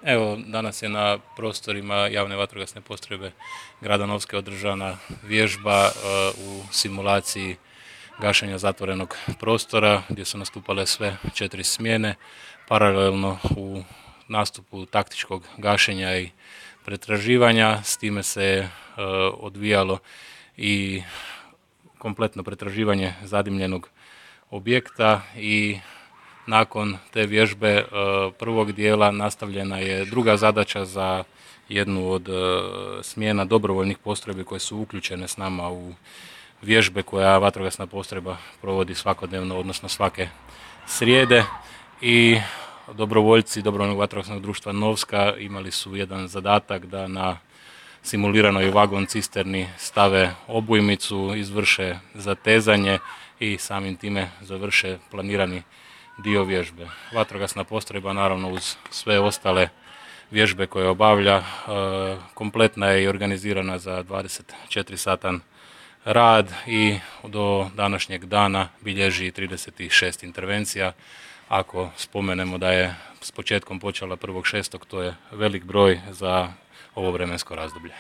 Evo, danas je na prostorima javne vatrogasne postrojbe grada Novske održana vježba u simulaciji gašenja zatvorenog prostora gdje su nastupale sve 4 smjene. Paralelno u nastupu taktičkog gašenja i pretraživanja, s time se odvijalo i kompletno pretraživanje zadimljenog objekta i nakon te vježbe prvog dijela nastavljena je druga zadaća za jednu od smjena dobrovoljnih postrojbi koje su uključene s nama u vježbe koja vatrogasna postrojba provodi svakodnevno, odnosno svake srijede. I dobrovoljci Dobrovoljnog vatrogasnog društva Novska imali su jedan zadatak da na simuliranoj vagon cisterni stave obujmicu, izvrše zatezanje i samim time završe planirani dio vježbe. Vatrogasna postrojba naravno uz sve ostale vježbe koje obavlja kompletna je i organizirana za 24-satan rad i do današnjeg dana bilježi 36 intervencija. Ako spomenemo da je s početkom počela 1.6., to je velik broj za ovo vremensko razdoblje.